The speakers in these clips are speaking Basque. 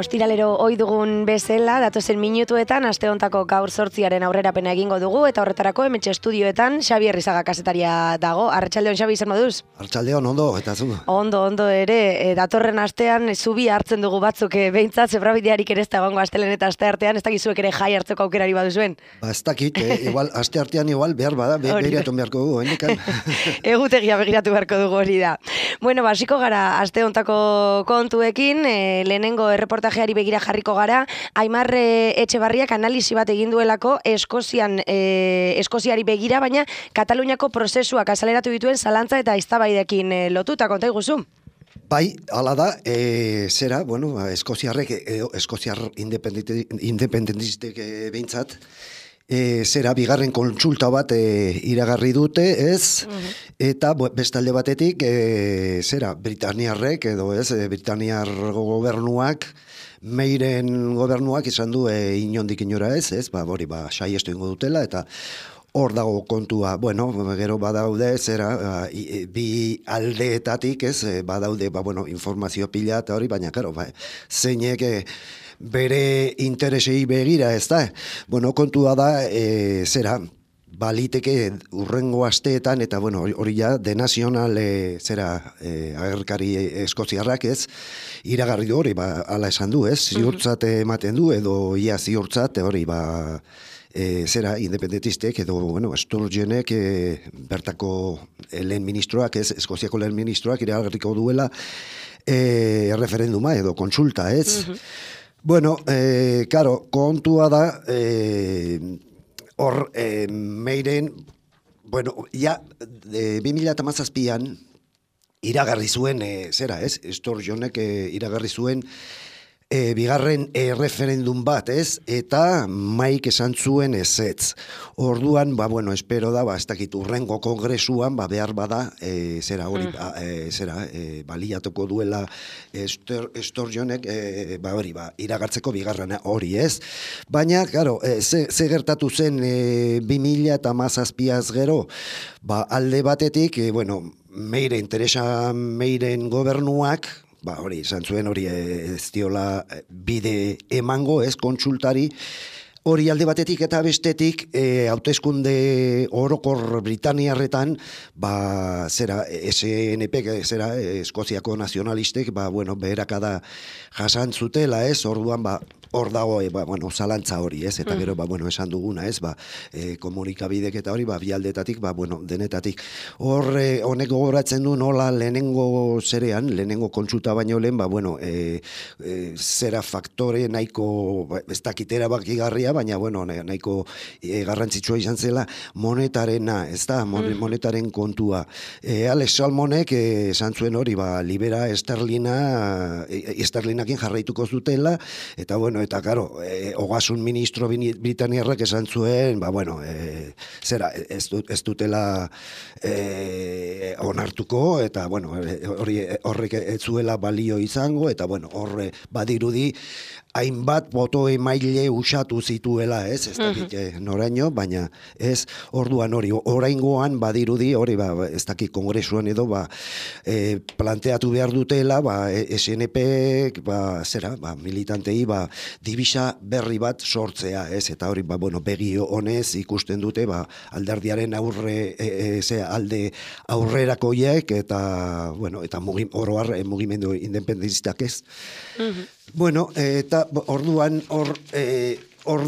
Ostiralero ohi dugun bezala, datozen minutuetan, aste hontako gaur 8 aurrerapena egingo dugu, eta horretarako hementxe estudioetan Xabi Herrizaga kazetaria dago. Arratsaldeon, Xabi, zer moduz? Arratsaldeon, ondo, eta zu? Ondo ere, datorren astean zubi hartzen dugu batzuk behintzat, zebrabidearik ere ez da egongo astelen eta asteartean, ez dakizuek ere jai hartzeko aukerari baduzuen? Ez dakit, igual, asteartean igual behar bada, begiratu beharko dugu, hendikan. Egutegia begiratu beharko dugu hori da. Bueno, basiko gara aste hontako kontuekin, lehenengo erreportajeari begira jarriko gara, Aimar Etxebarriak analisi bat egin duelako Eskoziari begira, baina Kataluniako prozesuak azaleratu dituen zalantza eta eztabaidekin lotuta, konta iguzu? Bai, hala da, zera, bueno, Eskoziar independentistek behintzat, zera bigarren kontsulta bat iragarri dute, ez? Eta bestalde batetik, zera, Britaniarrek edo ez, Britaniar gobernuak, Meiren gobernuak izan du inondik inora ez, hori saiestu ingo dutela, eta hor dago kontua, bueno, gero badaude, zera, bi aldeetatik, ez, badaude, informazio pila eta hori, baina, karo, zeinek bere interesei begira, ez da? Bueno, kontua da, zera, baliteke urrengo asteetan, eta bueno, hori ja, de nazional, agerkari eskoziarrak, ez, iragarri du hori, ala esan du, ez, ziurtzat ematen du, edo ia ziurtzat, hori, zera, independentistek, edo, bueno, Sturgeonek, bertako lehen ministroak, ez, Eskoziako lehen ministroak, iragarriko duela, referenduma, edo kontsulta, ez. Bueno, karo, kontua da, hor, Meiren, bueno, ja, 2017an iragarri zuen, zera, ez? Sturgeonek iragarri zuen bigarren referendum bat, ez? Eta maik esan zuen ezetz. Orduan, bueno, espero da, ez dakit urrengo kongresuan, behar bada, zera hori, baliatuko duela Sturgeonek, hori, iragartzeko bigarrena hori, ez? Baina, claro, ze gertatu zen 2017az gero, alde batetik, bueno, Meiren gobernuak, hori, izan zuen hori ez diola bide emango, ez, kontsultari, hori alde batetik eta bestetik, hauteskunde orokor Britaniarretan, zera, SNP, zera, Eskoziako nazionalistek, bueno, beherakada jasan zutela, ez, orduan, hor dago, bueno, zalantza hori, ez, eta gero, bueno, esan duguna, ez, komunikabidek eta hori, bialdetatik, bueno, denetatik. Hor, honek gogoratzen du nola lehenengo zerean, lehenengo kontsulta baino lehen, bueno, zera faktore nahiko, ez dakitera bakigarria, baina, bueno, nahiko garrantzitsua izan zela, monetarena, ez da, monetaren kontua. Alex Salmonek esan zuen hori, libera esterlinakin jarraituko zutela, eta, bueno, eta, karo, ogasun ministro Britaniarrak esan zuen, bueno, zera, ez dutela onartuko, eta, bueno, horrek ez zuela balio izango, eta, bueno, horre badirudi, hainbat boto emaile usatu zituela, ez dakit noraino, baina ez orduan hori, oraingoan badirudi, hori ez dakit kongresuan edo, planteatu behar dutela, SNP, zera, militantei, dibisa berri bat sortzea, ez, eta hori, bueno, begi honez ikusten dute, alderdiaren alde aurrerakoiek, eta, bueno, eta oroar mugimendu independentistak, ez. Bueno, eta orduan hor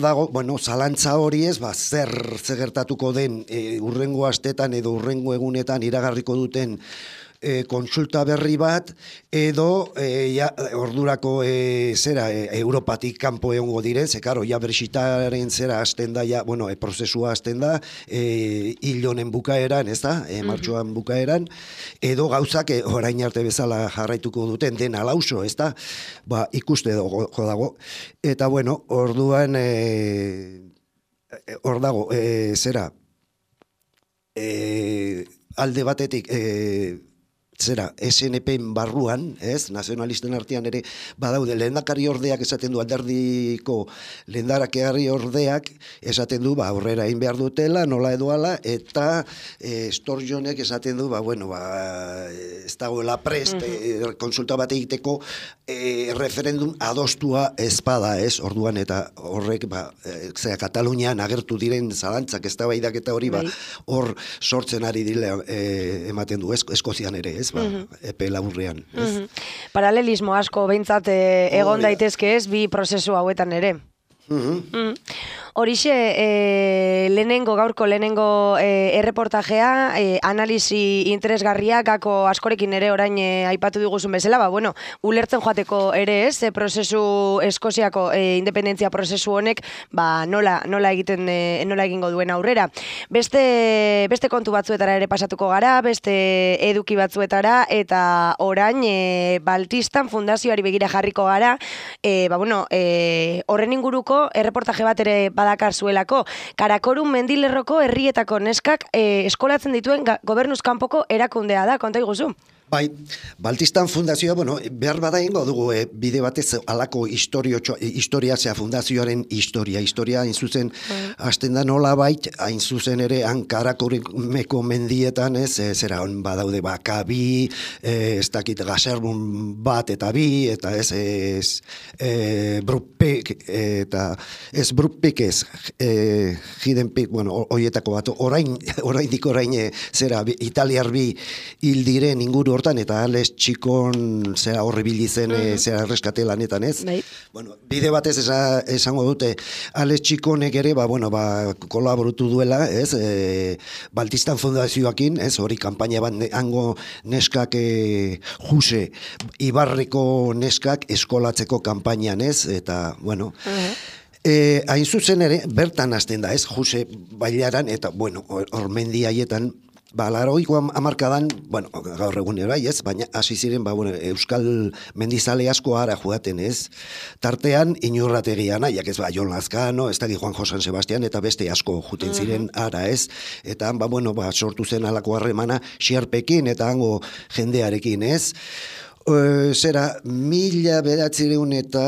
dago, bueno, zalantza hori ez, zer gertatuko den urrengo astetan edo urrengo egunetan iragarriko duten kontsulta berri bat, edo ordurako Europatik kanpo egongo diren, ze karo, ja Brexitaren zera hasten da, prozesua hasten da, hil honen bukaeran, ez da, martxoan bukaeran, edo gauzak orain arte bezala jarraituko duten dena lauso, ez da, ikuste dago. Eta orduan, hor dago, alde batetik, SNP-en barruan, nazionalisten artean ere, badaude, lehendakari ordeak esaten du, alderdiko lehendakari ordeak esaten du, aurrera egin behar dutela, nola edoala, eta Sturgeonek esaten du, ez dagoela prest, konsulta bat egiteko, referendum adostua ezpada, orduan, eta horrek, Katalunian agertu diren zalantzak, ez da baidak eta hori, hor sortzen ari dile ematen du, Eskozian ere, epe laburrean. Paralelismo asko behintzat egon daitezke ez, bi prozesu hauetan ere. Horixe, gaurko lehenengo erreportajea, analisi interesgarria, gako askorekin ere orain aipatu diguzun bezala, ulertzen joateko ere ez, prozesu Eskoziako independentzia prozesu honek, nola egingo duen aurrera. Beste kontu batzuetara ere pasatuko gara, beste eduki batzuetara, eta orain Baltistan fundazioari begira jarriko gara, horren inguruko erreportaje bat ere badakar zuelako. Karakorum mendilerroko herrietako neskak eskolatzen dituen gobernuz kanpoko erakundea da, konta iguzu? Bai, Baltistan fundazioa, behar bada ingo dugu bide batez alako historia, fundazioaren historia hain zuzen, hasten da nola bait, hain zuzen ere, Karakorumeko mendietan, zera hon badaude Kabi, ez dakit Gaserbun bat eta bi, eta Brupek, eta ez Brupek ez, Hidenpik, horietako bat, orain zera, italiar bi hil diren inguru hortan, eta Ales Txikon zera horribili zen zera erreskate lanetan, ez? Bide batez esango dute Ales Txikonek ere, kolaborutu duela, ez? Baltistan fundazioakin, ez? Hori kanpaina bat hango neskak Juse, Ibarreko neskak eskolatzeko kanpainan, ez? Eta, hain zuzen ere, bertan hasten da, ez? Juse bailaran, eta, hor mendi haietan, Laroiko amarkadan, gaur egun erai ez, baina hasi ziren, Euskal mendizale asko ara joaten ez. Tartean, Inurrategian, aiak ez, Jon Lazkano, ez daki Juan Josan Sebastian, eta beste asko juten ziren ara ez. Eta, sortu zen alako harremana Xerpekin, eta hango jendearekin ez. Zera, 1900 eta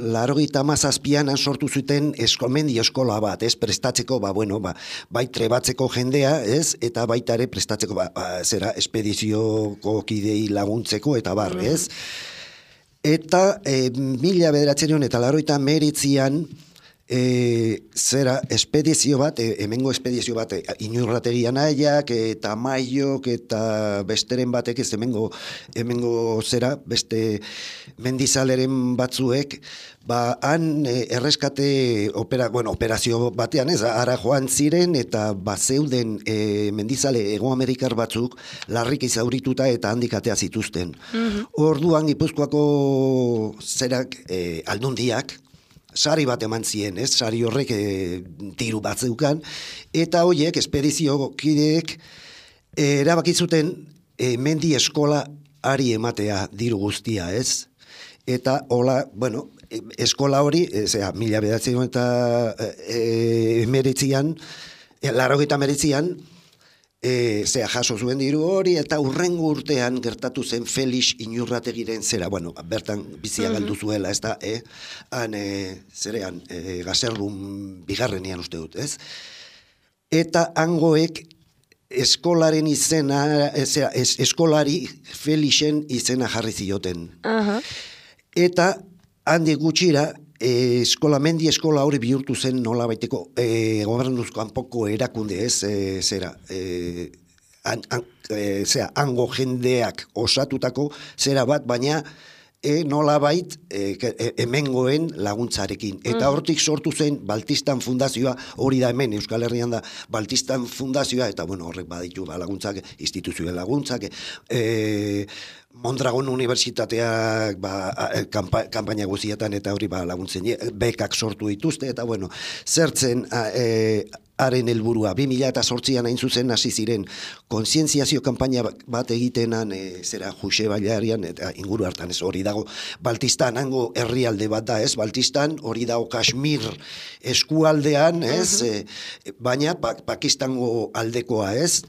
97an sortu zuten mendi eskola bat, ez, prestatzeko, bai trebatzeko jendea, ez, eta baita ere prestatzeko, zera, espedizioko kidei laguntzeko, eta ez. Eta 1900 eta 1999an, zera, espedizio bat, hemengo espedizio bat, Inurrategian aiak, eta Maiok, eta besteren batek, ez hemengo zera, beste mendizaleren batzuek, han erreskate operazio batean, ez, ara joan ziren, eta zeuden mendizale Hegoamerikar batzuk larriki zaurituta eta handik atea zituzten. Orduan Gipuzkoako zerak aldundiak, sari bat eman zien, ez? Sari horrek tiru bat zeukan, eta horiek, espedizio kideek, erabakizuten mendi eskola ari ematea diru guztia, ez? Eta hola, eskola hori, 1989an, 1989an, jaso zuen diru hori, eta urrengo urtean gertatu zen Felix Inurrategiren zera, bertan bizia galdu zuela, ez da, zerean, Gaserbun bigarrenean uste dut, ez? Eta hangoek eskolaren izena, eskolari Felixen izena jarri zioten. Eta handik gutxira, mendi eskola hori bihurtu zen nola baiteko gobernuzko hanpoko erakunde, ez, hango jendeak osatutako zera bat, baina nolabait hemengoen laguntzarekin. Eta hortik sortu zen Baltistan Fundazioa, hori da hemen Euskal Herrian da Baltistan Fundazioa, eta bueno, horrek baditu laguntzak, instituzioen laguntzak, Mondragon Unibertsitateak kanpaina guzietan eta hori laguntzen bekak sortu dituzte, eta bueno, zertzen haren helburua 2008an hain zuzen hasi ziren kontzientziazio kanpaina bat egitenan zera Juxe Bailarian eta inguru hartan ez hori dago Baltistan hango herrialde bat da ez Baltistan hori dago Kashmir eskualdean ez baina Pakistango aldekoa ez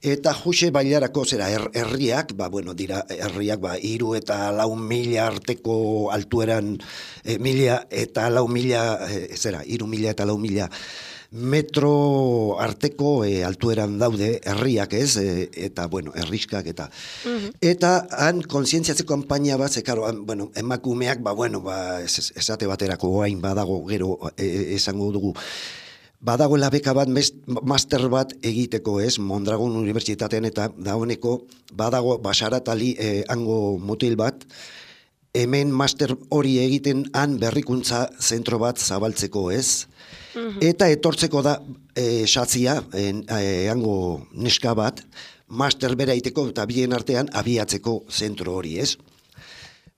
eta Juxe Bailarako zera herriak bueno dira herriak 3 eta 4.000 arteko altueran 1.000 eta 4.000 zera 3.000 eta 4.000 metro arteko altueran daude herriak ez, eta bueno, herriskak eta han kontzientziatzeko kanpaina bat, bueno, emakumeak, esate baterako oain badago gero esango dugu, badagoela beka bat, master bat egiteko ez, Mondragon Unibertsitatean eta dagoeneko badago Basaratali hango mutil bat, hemen master hori egiten han berrikuntza zentro bat zabaltzeko ez, eta etortzeko da satzia, hango neska bat, master bera egiteko eta bien artean abiatzeko zentro hori ez.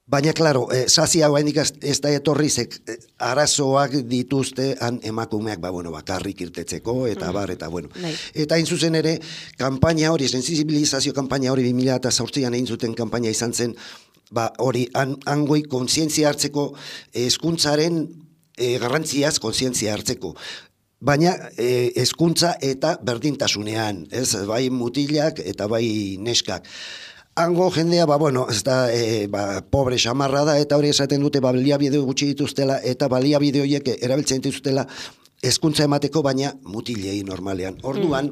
Baina, klaro, sazia hoendik ez da etorrizek arazoak dituzte han emakumeak, bakarrik irtetzeko, eta bueno. Eta hain zuzen ere, kanpaina hori, sensibilizazio kanpaina hori 2008an egin zuten kanpaina izan zen, hori, hangoi kontzientzia hartzeko hezkuntzaren garrantziaz kontzientzia hartzeko. Baina hezkuntza eta berdintasunean, ez, bai mutilak eta bai neskak. Hango jendea, ez da, pobre xamarra da, eta hori esaten dute, baliabide gutxi dituztela, eta baliabide horiek erabiltzen dituztela hezkuntza emateko, baina mutilei normalean. Orduan,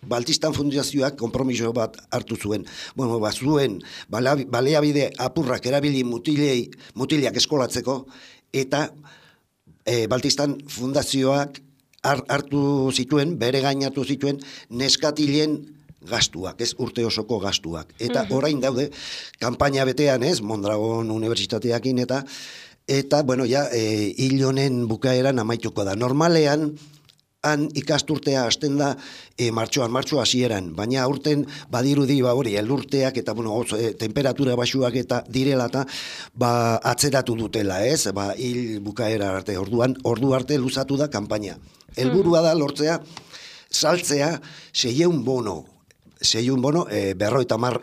Baltistan Fundazioak konpromiso bat hartu zuen. Zuen baliabide apurrak erabili mutilak eskolatzeko, eta Baltistan Fundazioak hartu zituen, bere gainatu zituen, neskatilen gastuak, ez urte osoko gastuak. Eta orain daude, kanpaina betean ez, Mondragon Unibertsitateakin eta bueno, hil honen bukaeran amaituko da. Normalean, han ikasturtea hasten da martxo hasieran, baina aurten badirudi hori elurteak eta temperatura baxuak eta direla eta atzeratu dutela, ez? Hil bukaera arte, ordu arte luzatu da kanpaina. Helburua da lortzea, saltzea 600 bono, 50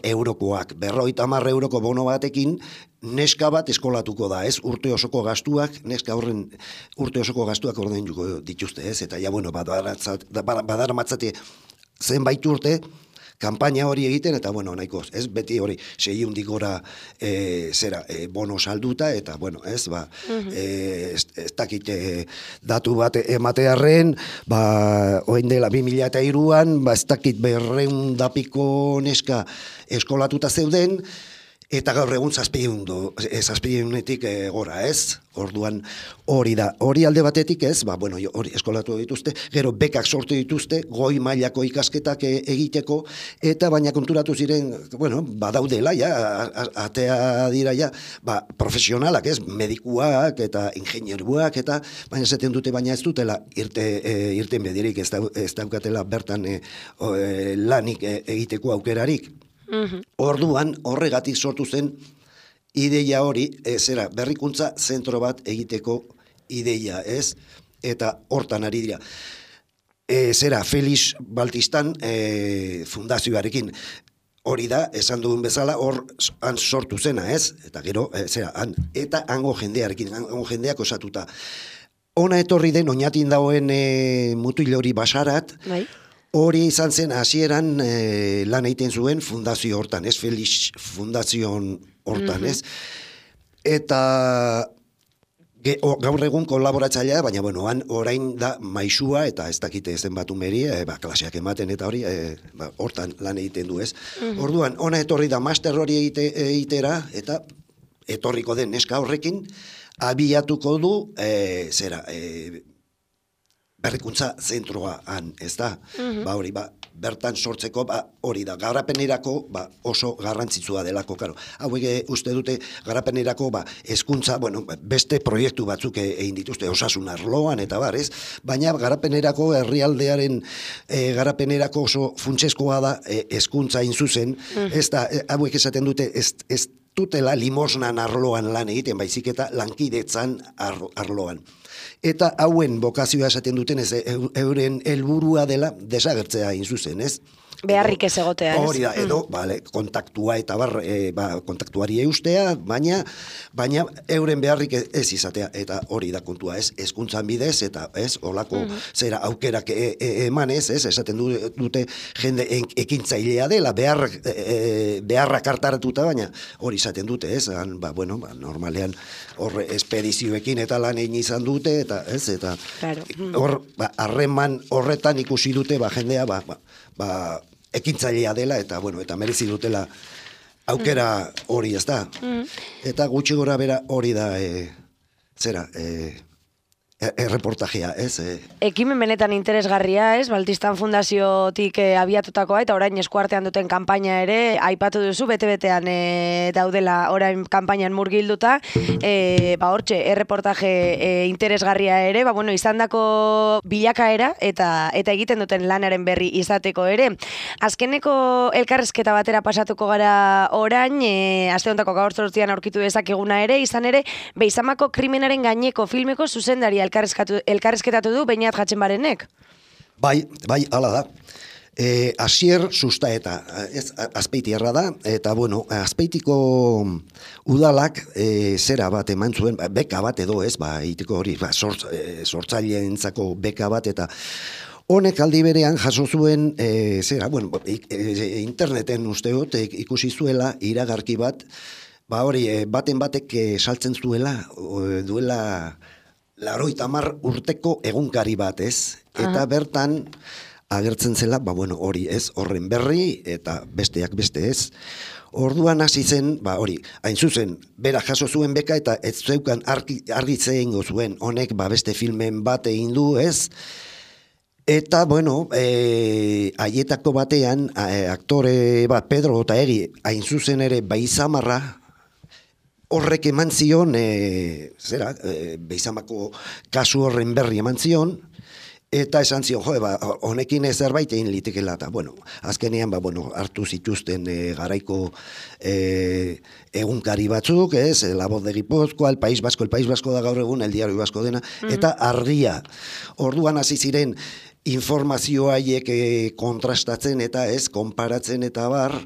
eurokoak, 50 euroko bono batekin, neska bat eskolatuko da, ez? Urte osoko gastuak, neska horren urte osoko gastuak ordainduko dituzte, ez? Eta badaramatzate zenbait urte, kanpaina hori egiten, eta nahiko, ez? Beti hori, 600 gora bono salduta, eta ez dakit datu bat ematearren, oin dela 2003an, ez dakit 200 piko neska eskolatuta zeuden, eta gaur egun 700etik gora, ez? Orduan hori da. Hori alde batetik ez, hori eskolatu dituzte, gero bekak sortu dituzte, goi mailako ikasketak egiteko, eta baina konturatu ziren, badaudela, atea dira, profesionalak, ez? Medikuak eta ingenieruak, eta baina zaten dute, baina ez dutela irten bedirik, ez daukatela bertan lanik egiteko aukerarik. Orduan, horregatik sortu zen ideia hori, berrikuntza zentro bat egiteko ideia, ez? Eta hortan ari dira. Felix Baltistan fundazioarekin. Hori da, esan dugun bezala, han sortu zena, ez? Eta gero, eta hango jendearekin, hango jendeak osatuta. Ona etorri den, oinatin dagoen mutil hori Basarat, hori izan zen hasieran lan egiten zuen fundazio hortan, ez? Felix Fundazion hortan, ez? Eta gaur egun kolaboratzailea, baina orain da maisua eta ez dakite zenbat umeri, klaseak ematen eta hori, hortan lan egiten du, ez? Orduan, ona etorri da master hori egitera, eta etorriko den neska horrekin, abiatuko du, berrikuntza zentroan, ez da? Ba hori, bertan sortzeko, hori da, garapenerako oso garrantzitsua delako, karo. Hauek uste dute garapenerako hezkuntza, beste proiektu batzuk egin dituzte osasun arloan eta ez? Baina garapenerako herrialdearen garapenerako oso funtsezkoa da hezkuntza zuzen, ez da, hauek esaten dute ez dutela limosnan arloan lan egiten, baizik eta lankidetzan arloan. Eta hauen bokazioa esaten duten ez euren helburua dela desagertzea zuzen, ez? Beharrik ez egotea, ez? Hori da, edo, kontaktua eta kontaktuari eustea, baina euren beharrik ez izatea, eta hori da kontua, ez? Hezkuntzan bidez, eta ez, olako zera aukerak emanez, ez? Esaten dute jende ekintzailea dela, beharrak hartaratuta, baina hori izaten dute, ez? Normalean horre espedizioekin eta lan egin izan dute, eta ez, eta hor, harreman horretan ikusi dute, jendea, ekintzailea dela, eta merezi dutela aukera hori, ez da? Eta gutxi gora bera hori da, erreportajea, ez? Ekimen benetan interesgarria, ez? Baltistan Fundaziotik abiatutakoa, eta orain eskuartean duten kanpaina ere, aipatu duzu, bete-betean daudela orain kanpainan murgilduta, hortxe, erreportaje interesgarria ere, izandako bilakaera, eta egiten duten lanaren berri izateko ere. Azkeneko elkarrezketa batera pasatuko gara orain, aste hontako gaur zortzian aurkitu dezakeguna ere, izan ere, Beizamako krimenaren gaineko filmeko zuzendaria elkarrezketatu du Beñat Jatxenbarenek. Bai, hala da. Asier Sustaeta, Azpeitiarra da, eta Azpeitiko udalak zera bat eman zuen, beka bat edo ez, itiko hori, sortzaileentzako beka bat, eta honek aldi berean jaso zuen, interneten usteot ikusi zuela iragarki bat, hori, baten batek saltzen zuela, duela 80 urteko egunkari bat, ez? Eta bertan agertzen zela, hori ez, horren berri, eta besteak beste ez. Orduan hasi zen, hori, hain zuzen, bera jaso zuen beka, eta ez zeukan argitze egingo zuen, honek beste filmen bat egin du, ez? Eta, haietako batean, aktore bat, Pedro Otaegi, hain zuzen ere, Beizamarra, horrek eman zion, Beizamako kasu horren berri eman zion, eta esan zion, honekin zerbait egin litekela, eta, azkenean, hartu zituzten garaiko egunkari batzuk, ez, La Voz de Gipuzkoa, el País Vasco da gaur egun, el Diario Vasco dena, eta Argia. Orduan hasi ziren informazioa haiek kontrastatzen, eta ez, konparatzen, eta bar.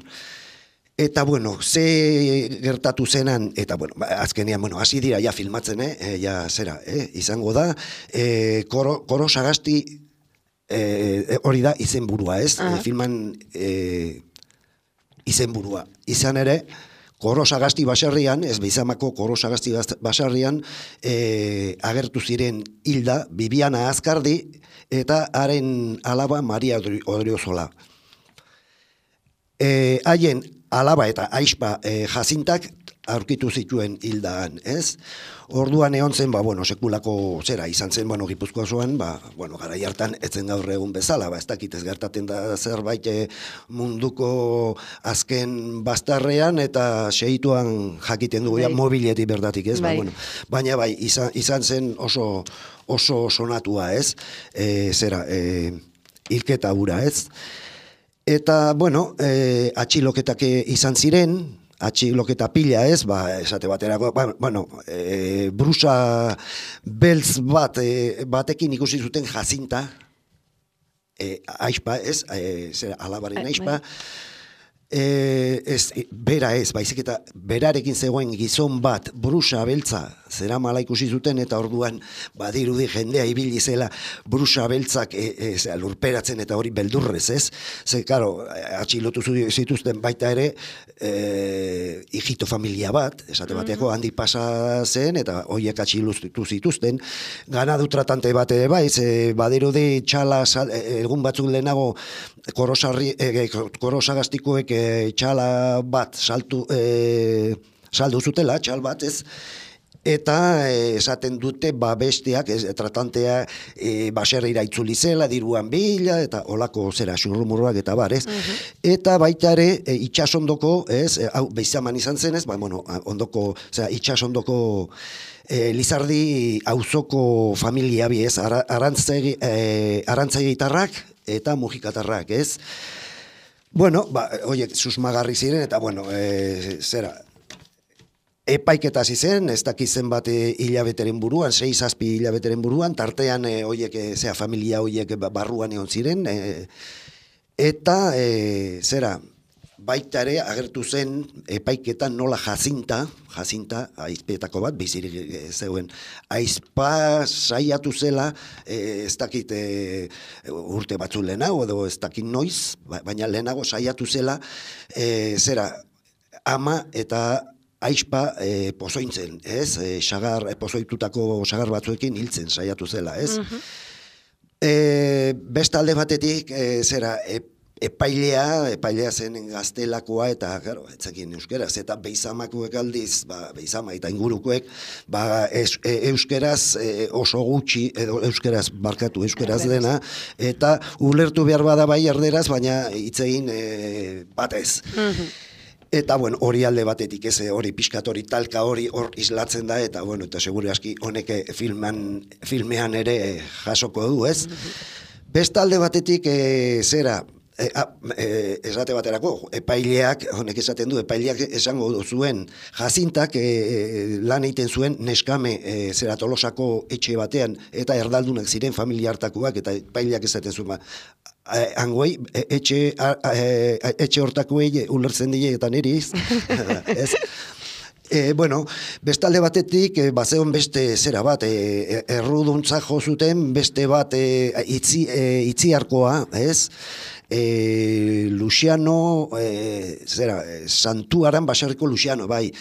Eta, ze gertatu zenan, eta, azkenean, hasi dira, ja filmatzen, izango da, Koro Sagasti, hori da, izenburua, ez? Filman izenburua. Izan ere, Koro Sagasti baserrian, ez Beizamako Koro Sagasti baserrian, agertu ziren hilda, Bibiana Azkardi, eta haren alaba Maria Odriozola. Haien alaba eta aizpa jazintak aurkitu zituen hildaan, ez? Orduan egon zen, sekulako zera izan zen, Gipuzkoa zoan, garai hartan etzen gaur egun bezala, ez dakit ez gertaten da zerbait munduko azken bastarrean, eta segituan jakiten dugu, mobiletik berdatik, ez? Baina izan zen oso sonatua, ez? Hilketa hura, ez? Eta, atxiloketak izan ziren, atxiloketa pila ez, esate baterako, brusa beltz batekin ikusi zuten jazinta, aizpa ez, alabaren aizpa, bera ez, baizik eta berarekin zegoen gizon bat brusa beltza zera mala ikusi zuten, eta orduan badirudi jendea ibili zela brusa beltzak lurperatzen eta hori beldurrez, ez? Ze, karo, atxilotu zituzten baita ere hijito familia bat, esate bateako handi pasa zen, eta horiek atxilotu zituzten, ganadu tratante bat ere bai, badirudi txala egun batzuk lehenago Korosagastikoek txala bat saldu zutela, txal bat ez, Eta esaten dute besteak, tratantea baserrira itzuli zela, diruan bila, eta olako zera xurrumurroak eta bar, ez? Eta baita ere, itxasondoko, ez, hau Beizaman izan zen, ez, ondoko, itxasondoko Lizardi auzoko familia bi, ez, arantzagitarrak eta mujikatarrak, ez? Bueno, horiek susmagarri ziren, eta bueno, epaiketa hasi zen, ez dakizen bat hilabeteren buruan, 6-7 hilabeteren buruan, tartean horiek, familia horiek barruan egon ziren, eta baita ere agertu zen epaiketan nola Jacinta, aizpeetako bat, bizirik zeuen, aizpa saiatu zela, ez dakit urte batzu lehenago, edo ez dakit noiz, baina lehenago saiatu zela, ama eta aizpa pozointzen, ez? Pozoitutako sagar batzuekin hiltzen saiatu zela, ez? Beste alde batetik, epailea zen gaztelakoa, eta, claro, etzakin euskeraz, eta beizamakoek aldiz, beizama eta ingurukoek, euskeraz oso gutxi, edo euskeraz dena, eta ulertu behar bada bai erderaz, baina hitzegin batez. Eta, bueno, hori alde batetik, hori pixkat hori talka hori hor islatzen da, eta, bueno, eta segure aski honek filmean ere jasoko du, ez? Beste alde batetik, esate baterako, epaileak, honek esaten du, epaileak esango zuen, Jacintak lan egiten zuen neskame Tolosako etxe batean, eta erdaldunak ziren familia hartakoak, eta epaileak esaten zuen, hangoei, etxe hortakoei ulertzen dile eta niriz, ez? Bueno, bestalde batetik, bazeon beste zera bat, erruduntza jo zuten, beste bat itziarkoa, ez? Luciano, Santuaran baserriko Luciano, bai,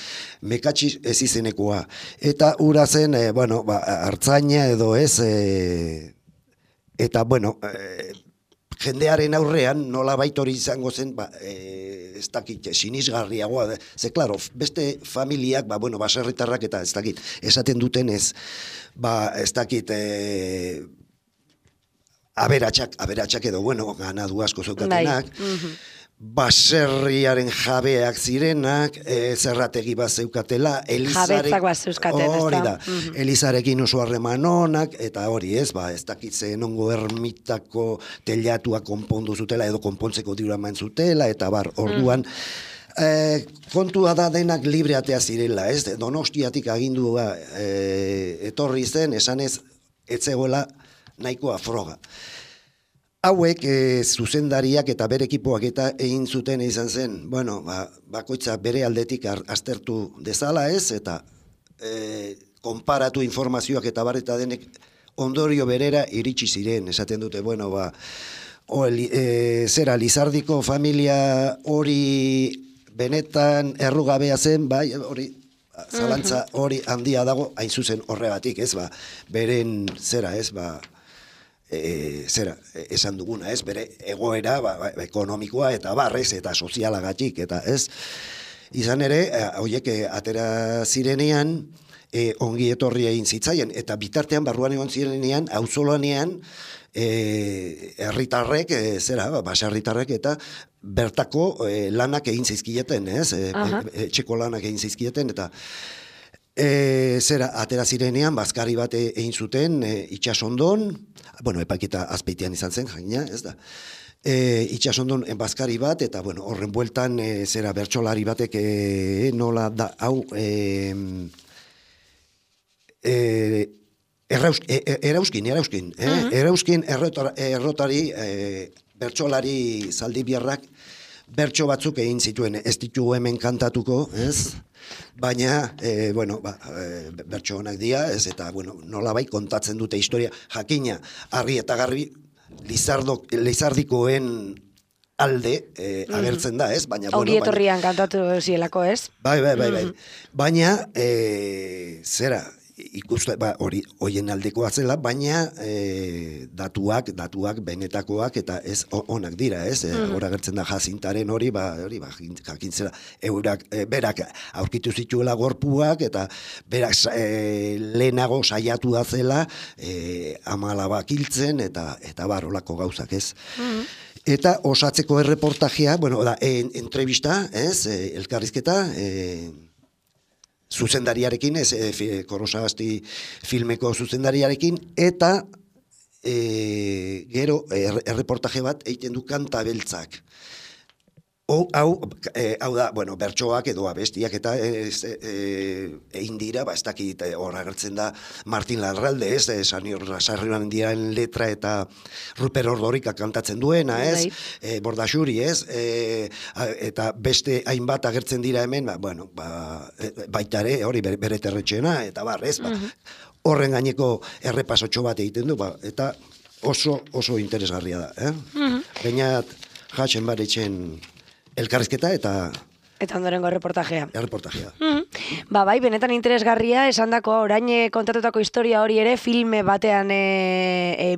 Mekatxiz ez izenekoa. Eta ura zen, hartzaina edo ez, eta, bueno, jendearen aurrean nola hori izango zen, ez dakit, sinisgarriagoa, ze, klaro, beste familiak, baserritarrak eta ez dakit, esaten duten ez dakit, aberatsak edo, ganadu asko zeukatenak, baserriaren jabeak zirenak, zerrategi bat zeukatela, jabetzak bat zeuzkaten, hori da, Elizarekin oso harreman onak, eta hori ez dakitzen ongo ermitako telatua konpondu zutela, edo konpontzeko dirua eman zutela, eta orduan, kontua da denak libreatea zirela, ez? Donostiatik agindua etorri zen, esanez, etzegoela nahikoa froga. Hauek zuzendariak eta bere ekipoak eta egin zuten izan zen, bakoitza bere aldetik aztertu dezala ez, eta konparatu informazioak eta barreta denek ondorio berera iritsi ziren, esaten dute, Lizardiko familia hori benetan errugabea zen, bai, hori, zalantza hori handia dago, hain zuzen horregatik, ez, beren esan duguna, ez, bere egoera ekonomikoa eta barrez eta sozialagatik, eta ez, izan ere, horiek atera zirenean, ongi etorri egin zitzaien, eta bitartean barruan egon zirenean, auzolanean, herritarrek, baserritarrek eta bertako lanak egin zizkieten, ez, etxeko lanak egin zizkieten, eta atera zirenean, bazkari bat egin zuten, itxasondon, epaiketa azpeitian izan zen, jaina, ez da, itxasondon bazkari bat, eta, horren bueltan, bertsolari batek, nola da, hau, Erauzkin errotari, bertsolari zaldibiarrak, bertso batzuk egin zituen, ez ditu hemen kantatuko, ez? Baina, bertso honak dira, ez, eta, nolabai kontatzen dute historia, jakina, argi eta garbi, Lizardikoen alde agertzen da, ez? Ongi etorrian kantatu zielako, ez? Bai. Baina, ikuste, hori hoien aldekoa zela, baina datuak benetakoak eta ez onak dira, ez? Hora gertzen da Jazintaren hori jakintzera, berak aurkitu zituela gorpuak eta berak lehenago saiatu da zela 14 hiltzen eta barolako gauzak, ez? Eta osatzeko erreportajea, entrevista, ez? Elkarrizketa, zuzendariarekin, Korrosagasti filmeko zuzendariarekin, eta gero erreportaje bat egiten du Kanta Beltzak. Hau da, bertsoak edo abestiak eta egin dira, ez dakit hor agertzen da Martin Larralde, ez, Sarrioan diaren letra eta Ruper Ordorika kantatzen duena, ez, Bordaxuri, ez, eta beste hainbat agertzen dira hemen, baitare, hori bere terretxena, eta ez, horren gaineko errepasotxo bat egiten du, eta oso interesgarria da, Bainat, jatzen baretzen elkarrizketa eta ondorengo erreportajea. Erreportajea. Bai, benetan interesgarria, esandako orain kontatutako historia hori ere filme batean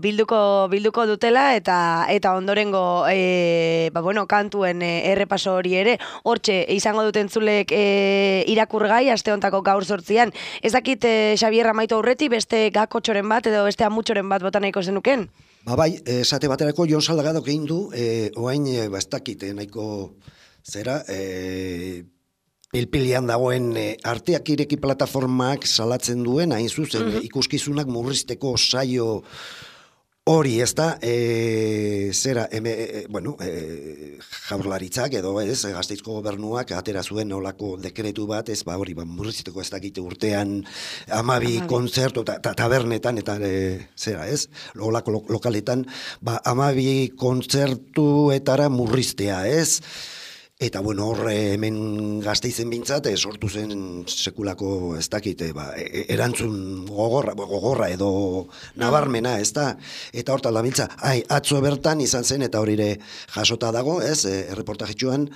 bilduko dutela eta ondorengo kantuen errepaso hori ere hortxe izango duten zulek irakurgai aste hontako gaur 8an. Ez dakit Xabier amaitu aurreti beste gakotxoren bat edo beste amutxoren bat bota nahiko zenuken? Bai, esate baterako Jon Salgadok egin du, oain ez dakit nahiko zera, pilpilian dagoen arteak ireki plataformak salatzen duen, hain zuzen, ikuskizunak murrizteko saio hori, ez da, Jaurlaritzak edo Gasteizko gobernuak atera zuen olako dekretu bat, ez, hori, murrizteko ez dakite urtean 12 kontzertu eta tabernetan, eta ez, olako lokaletan, 12 kontzertuetara murriztea, ez, eta hor hemen Gasteizen bintzat, sortu zen sekulako ez dakite, erantzun gogorra edo nabarmena, ez da, eta hortan labiltza, atzo bertan izan zen, eta hori ere jasota dago, ez, erreportajetxuan,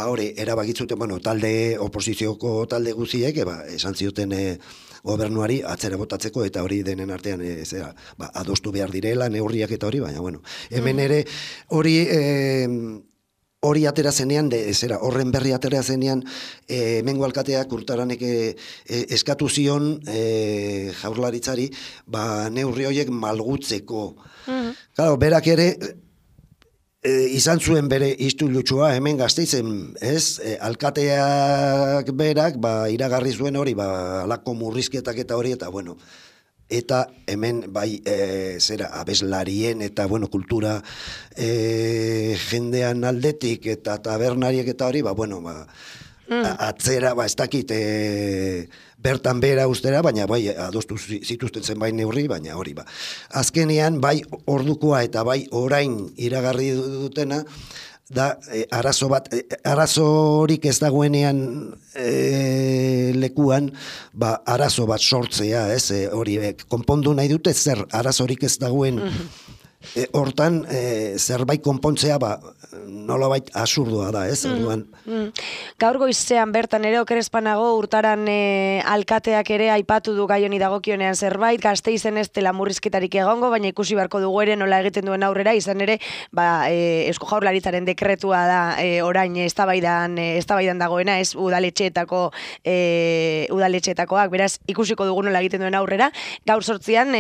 hori, erabakitzuten, talde, oposizioko talde guziek, esan zioten gobernuari atzera botatzeko, eta hori denen artean, adostu behar direla, neurriak eta hori, baina, hemen ere, hori atera zenean, horren berri atera zenean, hemengo alkateak Urtaranek eskatu zion Jaurlaritzari, neurri horiek malgutzeko. Claro, berak ere, izan zuen bere istilutsua hemen Gasteizen, ez? Alkateak berak, iragarri zuen hori, alako murrizketak eta hori, eta eta hemen abeslarien eta kultura jendean aldetik eta tabernariek eta hori, atzera, ez dakit bertan bera ustera, baina adostu zituzten zenbait neurri, baina hori azkenean ordukoa eta orain iragarri dutena, da arazorik ez dagoenean lekuan, arazo bat sortzea, ez, hori konpondu nahi dute zer arazorik ez dagoen hortan zerbait konpontzea nolabait absurdoa da, ez, orduan. Gaur goizean bertan ere okerezpanago Urtaran alkateak ere aipatu du gai honi dagokionean zerbait, Gasteizen ez dela murrizketarik egongo, baina ikusi beharko dugu ere nola egiten duen aurrera, izan ere, Eusko Jaurlaritzaren dekretua da orain eztabaidan dagoena, ez udaletxeetakoak, beraz ikusiko dugu nola egiten duen aurrera. Gaur 8an,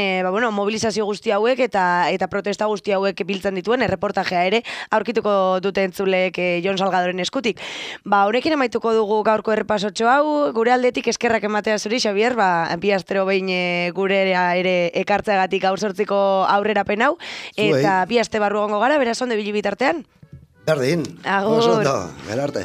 mobilizazio guzti hauek eta protesta guzti hauek biltzen dituen erreportajea ere aurkituko dute entzulek Jon Salgadoren eskutik. Honekin amaituko dugu gaurko errepasotxo hau, gure aldetik eskerrak ematea zuri, Xabier, bi astero behin gure ere ekartzeagatik gaur 8ko aurrerapen hau, eta bi aste barru egongo gara, beraz ondo ibili bitartean. Berdin, oso ondo, gerarte.